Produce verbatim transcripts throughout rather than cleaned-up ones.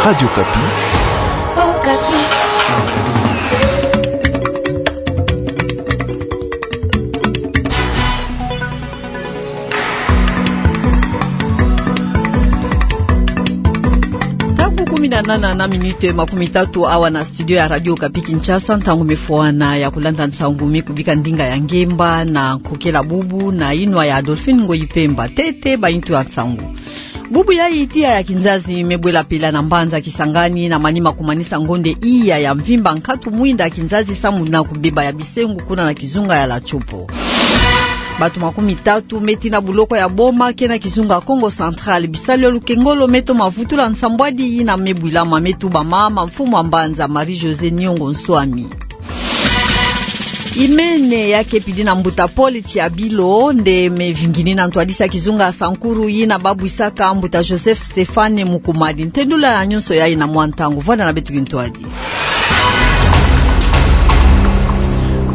Radio Okapi. Okapi. Ntangu kumi na nana na minute makumi tatu awa na studio ya Radio Okapi Kinshasa, ntangu me fwana ya kulanda nsangu me kubika ndinga ya ngemba na nkokela bubu na yinwa ya Adolphine Ngoyi Pemba. Ntete bayitu ya nsangu. Bubu yayi tiya ya kinzazi me bwela pela na mbanza Kisangani na manima kumanisa ngonde iya ya mvimba nkatu mwinda ya kinzazi samu na kubeba ya bisengo kuna na kizunga ya La Tshopo. Bato makumi tatu me tina buloko ya boma ke na kizunga Kongo Central. Bisalu ya lukengolo me toma vutula nsambwadi yina me bwilama, me tubama na mfumu ya mbanza Marie-Josée Niongo Nswami. Imene ya ke pidi na mbuta Paul Tshiabilo nde me vingini na ntwadisi ya kizunga Sankuru yina babwisaka mbuta Joseph Stéphane Mukumadi. Ntendula ya nyonso yayi na mwa ntangu. Vwanda na beto kintwadi.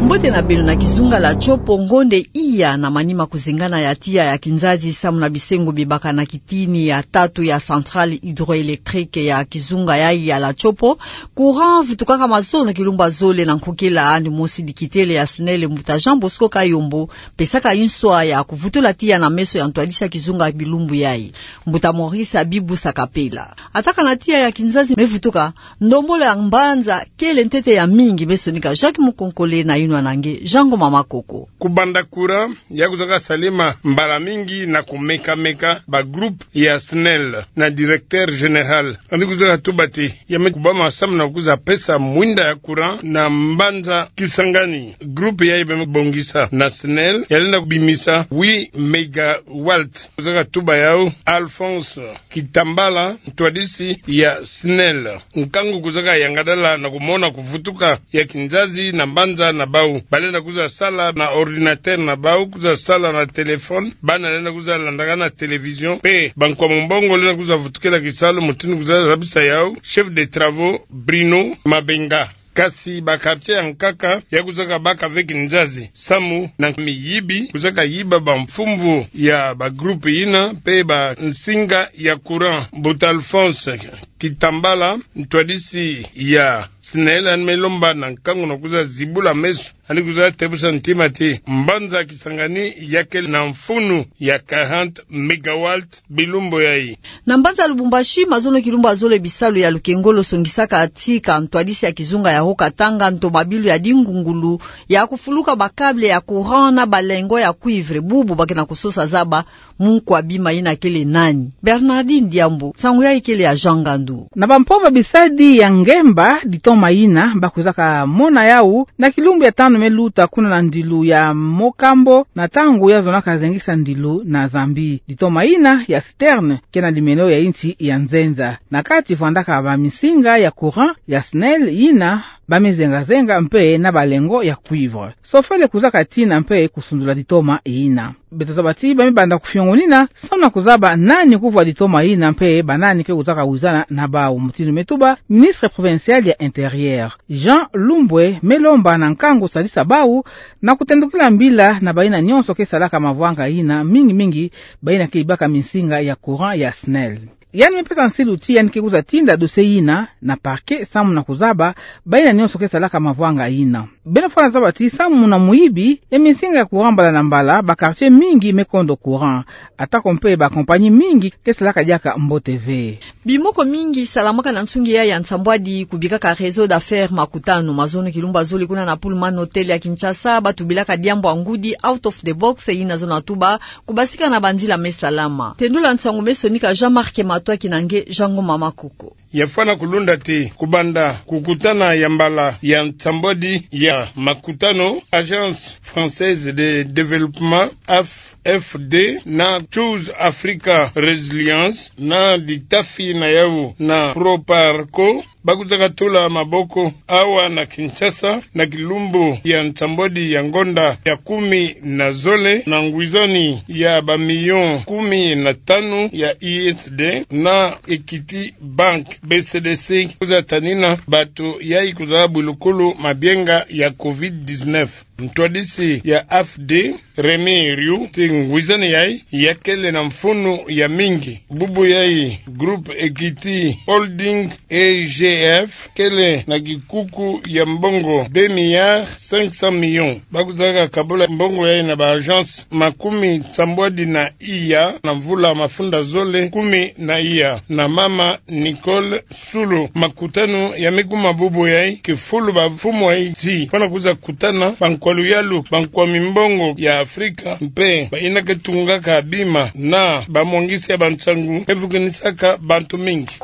Mbote na beno. Na kizunga La Tshopo, ngonde iya na manima kuzengana ya tiya ya kinzazi samu na bisengo bibaka na kitini ya tatu ya centrale hydroélectrique ya kizunga yayi ya La Tshopo. Courant vutukaka mazono kilumbu ya zole na nkokela andi mosi dikitele ya SNEL, mbuta Jean Bosco Kayombo, pesaka nswa ya kuvutula tiya na meso ya ntwadisi ya kizunga bilumbu yayi. Mbuta Maurice Abibu Sakapela. Ata kana tiya ya kinzazi me vutuka, ndombolo ya mbanza kele ntete ya mingi. Me sonika Jacques Mukonkole na yinwa na nge Jean Ngoma Makoko. Kubanda courant ya kuzaka salema mbala mingi na kumeka-meka, ba groupe ya SNEL na directeur général andi kuzaka tuba ti ya me kubama samu na kuza pesa mwinda ya courant na mbanza Kisangani. Groupe yayi ba me bongisa na SNEL ya lenda kubimisa huit mégawatts. Kuzaka tuba yau Alphonse Kitambala, ntwadisi ya SNEL. Nkangu kuzaka yangadala na kumona kuvutuka ya kinzazi na mbanza na bau. Ba lenda kuza sala na ordinateur na bau, kuza sala na téléphone, bana lenda kuza landaka na télévision, mpe bankwa mumbongo lenda kuza vutukila kisalu, mutindu kuza zabisa yau chef de travaux Bruno Mabenga. Kasi ba quartier ya nkaka ya kuzaka baka ve kinzazi samu na miyibi kuzaka yiba bamfumvu ya ba groupe yina mpe bansinga ya courant. Mbuta Alphonse Kitambala, ntwadisi ya SNEL, andi me lomba na nkangu na kuza zibula meso, andi kuza tebusa ntima ti mbanza Kisangani ya kele na mfunu ya quarante mégawatts bilumbu yayi. Na mbanza Lubumbashi, mazono kilumbu ya zole bisalu ya lukengolo songisaka tika ntwadisi ya kizunga ya Haut-Katanga nto mabilu ya dingungulu ya kufuluka ba câble ya courant na balengo ya cuivre. Bubu ba ke na kusosa zaba munkwa bima yina kele nani. Bernardine Diambu, nsangu yayi kele ya Jean Ngandu. Na bampova bisadi ya ngemba ditoma yina ba kuzaka mona yau na kilumbu ya tanu me luta kuna na ndilu ya Mokambo, na ntangu ya zonaka zengisa ndilu na Zambie. Ditoma yina ya citerne ke na limelo ya insi ya nzenza. Na kati vwandaka baminsinga ya courant ya SNEL yina ba me zenga-zenga mpe na balengo ya cuivre. Sofele kuzaka tina mpe kusundula ditoma yina. Beto zaba ti ba me banda kufiongonina samu na kuzaba nani kuvwa ditoma yina mpe banani ke kuzaka wizana na bau, mutindu me tuba ministre provincial ya Intérieur. Jean Lumbwe me lomba na nkangu sadisa bau na kutendukila mbila na bayina nyonso ke salaka mavwanga yina, mingi-mingi bayina ke yibaka minsinga ya courant ya SNEL. Yandi me pesa nsilu ti yandi ke kuza tinda dossier yina na parquet samu na kuzaba bayina nyonso ke salaka mavwanga yina. Beno fwana zaba ti samu na muyibi ya minsinga ya courant mbala na mbala, ba quartier mingi me kondo courant. Atako mpe ba compagnie mingi ke salaka diaka mbote ve. Bimoko mingi salamaka na nsungi ya, ya nsambwadi kubikaka réseau d'affaires Makutano. Mazono kilumbu ya zole kuna na Pullman Hotel ya Kinshasa, ba tubilaka diambu ya ngudi out of the box, yina zono ya tuba kubasika na banzila me salama. Tendula nsangu me sonika Jean-Marc Matwaki na nge Jean Ngoma Makoko. Ya fwana kulunda ti kubanda kukutana ya mbala ya nsambwadi ya Makutano, Agence Française de Développement, A F F D, na Choose Africa Resilience, na ditafi na yau na Proparco, ba kuzaka tula maboko awa na Kinshasa, na kilumbu ya nsambwadi ya ngonda ya kumi na zole, na ngwizani ya ba million kumi na tanu ya U S D na Equity Bank, B C D C, kuza tanina bato yayi kuza bwilukulu mabienga ya covid dix-neuf. Ntwadisi ya AFD, Rémy Riou, ti ngwizani yayi, yakele na mfunu ya mingi. Bubu yayi, Groupe Equity Holding, E G F, kele na kikuku ya mbongo deux milliards cinq cents millions. Ba kuzaka kabula mbongo yayi na ba agence makumi sambwadi na iya na mvula mafunda zole kumi na iya. Na mama Nicole Sulu, makutano ya me kuma bubu yayi, kifulu ba mfumu yayi ti fwana kuza kutana bankwa luyalu, bankwa mimbongo ya Afrika, mpe bayina ke tungaka bima na bamwangisi ya bansangu me vukinisaka bantu mingi.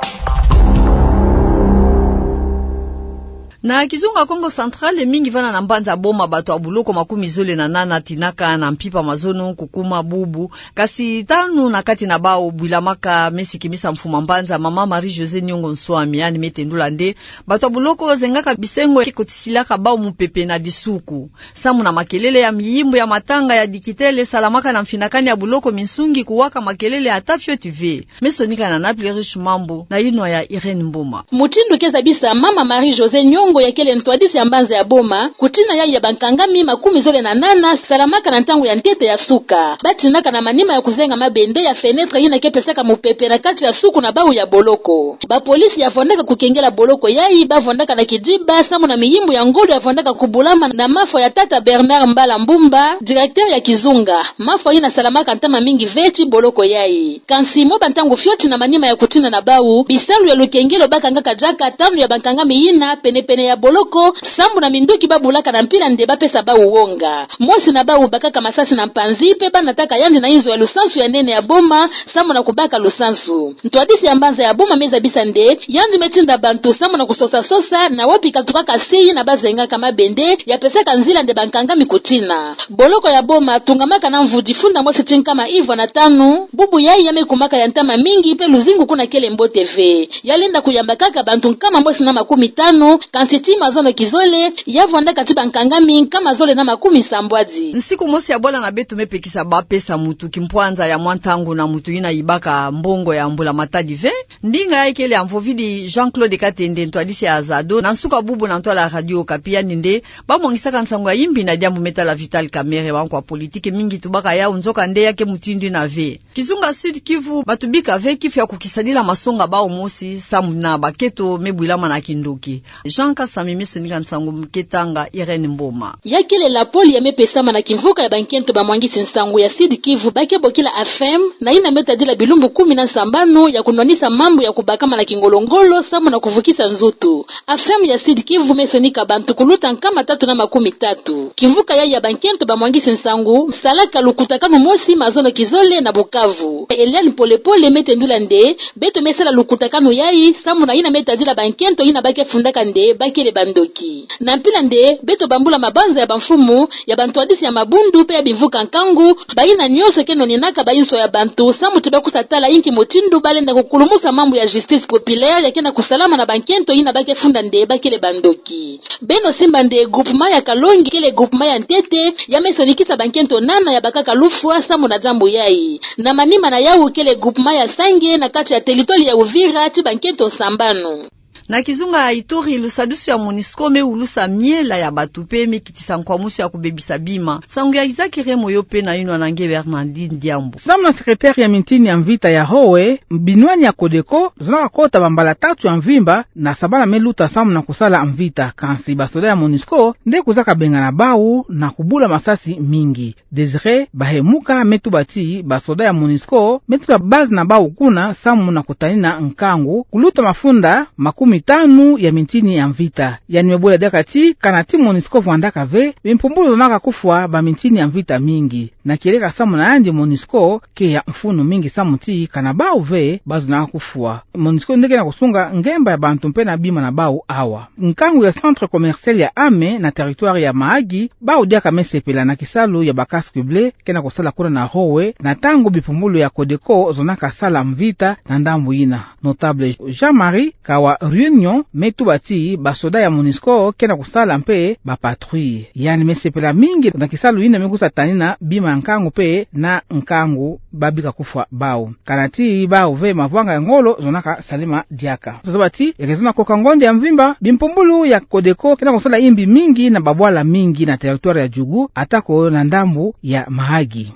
Na kizunga Kongo Central, mingi vana na mbanza Boma bato ya buloko makumi zole na nana tinaka na mpimpa mazono kukuma bubu, kasi tanu na kati na bawu bwilamaka me sikimisa mfuma mbanza, mama Marie-Josée Niongo Nswami, yandi me tendula nde bato ya buloko zengaka bisengo ke kotisilaka bawu mupepe na disuku. Samu na makelele ya miyimbu ya matanga ya dikitele salamaka na mfinakani ya buloko, minsungi kuwaka makelele ata fioti ve. Me sonika na Naples Riche Mambu na yinwa ya Irène Mboma. Mutindu ke zabisa mama Marie-Josée Niongo, yakele ntwadisi ya mbanza ya Boma, kutina yayi ya bankangami makumi zole na nana salamaka na ntangu ya ntete ya suka. Ba tinaka na manima ya kuzenga mabende ya fenêtre yina ke pesaka mupepe na kati ya suku na bawu ya boloko. Bapolisi ya vondaka kukengela boloko yayi ba vondaka na kidiba samu na miyimbu ya ngolo ya vondaka kubulama na mafwa ya tata Bernard Mbala Mbumba, directeur ya kizunga. Mafwa yina salamaka ntama mingi ve ti boloko yayi. Kansi mwa bantangu fioti, na manima ya kutina na bawu, bisalu ya lukengelo ba kangaka diaka tanu ya bankangami yina pene-pene ya boloko, samu na minduki ba bulaka na mpila nde ba pesa bawu wonga. Mosi na bawu bakaka masasi na mpanzi, mpe ba nataka yandi na inzo ya lusansu ya nene ya Boma, samu na kubaka lusansu. Ntwadisi ya mbanza ya Boma me zabisa nde yandi me tinda bantu samu na kusosa-sosa na wapi katukaka se yina ba zengaka mabende ya pesaka nzila nde bankangami kutina. Boloko ya Boma tungamaka na mvu difunda mosi ti nkama ivwa na tanu, bubu yayi ya me kumaka ya ntama mingi, mpe luzingu kuna kele mbote ve. Ya lenda kuyamba kaka bantu nkama mosi na makumi tanu, kansi ti mazono kizole, ya vwandaka ti bankangami nkama zole na makumi sambwadi. Nsiku mosi ya bwala na beto me pekisa ba pesa mutu kimpwanza ya mwa ntangu na mutu yina yibaka mbongo ya mbula-matadi ve. Ndinga yayi kele ya mvovidi Jean-Claude Katende, ntwadisi ya Azado, na nsuka bubu na ntwala ya Radio Okapi, yandi nde ba mwangisaka nsangu ya yimbi na diambu me tala Vital Kamerhe, bankwa politiki mingi tubaka yawu, nzoka nde ya ke mutindu yina ve. Kizunga Sud-Kivu, bato bika ve kifu ya kukisadila masonga bawu mosi samu na bakento me bwilama na kindoki. Jean Kasami me sonika nsangu, me ke tanga Irène Mboma. Ya kele lapole ya me pesama na kimvuka ya bankento bamwangisi nsangu ya Sud-Kivu ba ke bokila AFEM, na yina me tadila bilumbu kumi na sambanu ya kunwanisa mambu ya kubakama na kingolo-ngolo samu na kuvukisa nzutu. AFEM ya Sud-Kivu me sonika bantu kuluta nkama tatu na makumi tatu. Kimvuka yayi ya bankento bamwangisi nsangu me salaka lukutakanu mosi mazono kizole na Bukavu. Eliane Pole-pole me tendula nde beto me sala lukutakanu yayi samu na yina me tadila bankento yina ba ke fundaka nde ba kele bandoki. Na mpila nde beto bambula mabanza ya bamfumu, ya bantwadisi ya mabundu mpe ya bimvuka nkangu, bayina nyonso ke nwanenaka bainso ya bantu samu ti ba kusa tala inki mutindu ba lenda kukulumusa mambu ya justice populaire ya ke na kusalama na bankento yina ba ke funda nde ba kele bandoki. Beno simba nde groupement ya Kalongi kele groupement ya ntete ya me sonikisa bankento nana ya bakaka lufwa samu na diambu yayi. Na manima na yawu kele groupement ya Sange na kati ya territoire ya Uvira ti bankento sambanu. Na kizunga ya Ituri, lusadusu ya MONUSCO me wulusa miela ya bato mpe me kitisa nkwamusu ya kubebisa bima. Nsangu ya Isaac Remoyo mpe na yinwa na nge Bernardine Diambu. Samu na secrétaire ya mintini ya mvita ya Howe, binwani ya Codeco zonaka kota bambala tatu ya mvimba na sabala me luta samu na kusala mvita, kansi basoda ya MONUSCO nde kuzaka bengana bawu na kubula masasi mingi. Désiré Bahemuka me tuba ti basoda ya MONUSCO me tuta base na bawu kuna samu na kutanina nkangu, kuluta mafunda makumi tanu ya mintini ya mvita. Yandi me bula diaka ti kana ti MONUSCO vwandaka ve, bimpumbulu zonaka kufwa bamintini ya mvita mingi. Na kieleka samu na yandi, MONUSCO ke ya mfunu mingi samu ti kana bawu ve ba zonaka kufwa. MONUSCO nde ke na kusunga ngemba ya bantu mpe na bima na bawu awa. Nkangu ya centre commercial ya Ame na territoire ya Mahagi, bawu diaka me sepela na kisalu ya ba casque bleu ke na kusala kuna na Howe, na ntangu bimpumbulu ya Codeco zonaka sala mvita na ndambu yina. Notable Jean-Marie Kawa Nyo me tuba ti basoda ya MONUSCO ke na kusala mpe bapatrouille. Yandi me sepela mingi na kisalu yina me kusatanina bima ya nkangu mpe na nkangu babika kufwa bau. Kana ti bau ve mavwanga ya ngolo zonaka salama diaka. Tozaba ti ya ke zona koka ngonde ya mvimba, bimpumbulu ya CODECO ke na kusala imbi mingi na babwala mingi na territoire ya Djougou, ata ko na ndambu ya Mahagi.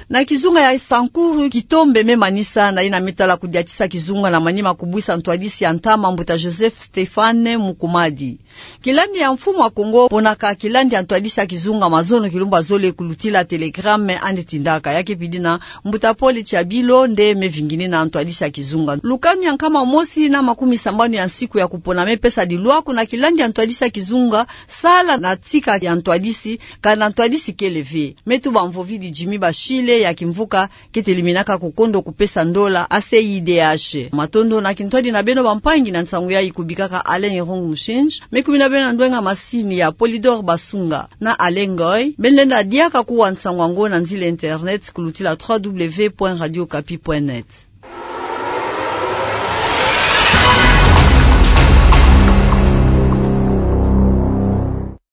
Na kizunga ya Sankuru, kitombe me manisa na yina me tala kudiatisa kizunga na manima kubwisa ntwadisi ya ntama, Mbuta Joseph Stéphane Mukumadi. Kilandi ya mfumu ya Kongo ponaka kilandi ya ntwadisi ya kizunga mazono kilumbu zole kulutila telegramme andi tindaka. Ya ke pidi na Mbuta Paul Tshiabilo nde me vinginina ntwadisi ya kizunga. Lukanu ya nkama mosi na makumi sambanu ya nsiku ya kupona me pesa dilwa kuna kilandi ya ntwadisi ya kizunga sala na tika ya ntwadisi, kana ntwadisi kele ve. Me tuba mvovidi Jimmy Bashile ya kimvuka ke teliminaka kukondo kupesa ndola a CIDH. Matondo na kintwadi na beno bampangi, na nsangu yayi kubikaka Alain Irung Mushinji, me kumina beno na ndwenga masini ya Polydor Basunga na Alain Ngoy. Beno lenda diaka kuwa nsangu yango na nzila internet kulutila trois W point radio okapi point net.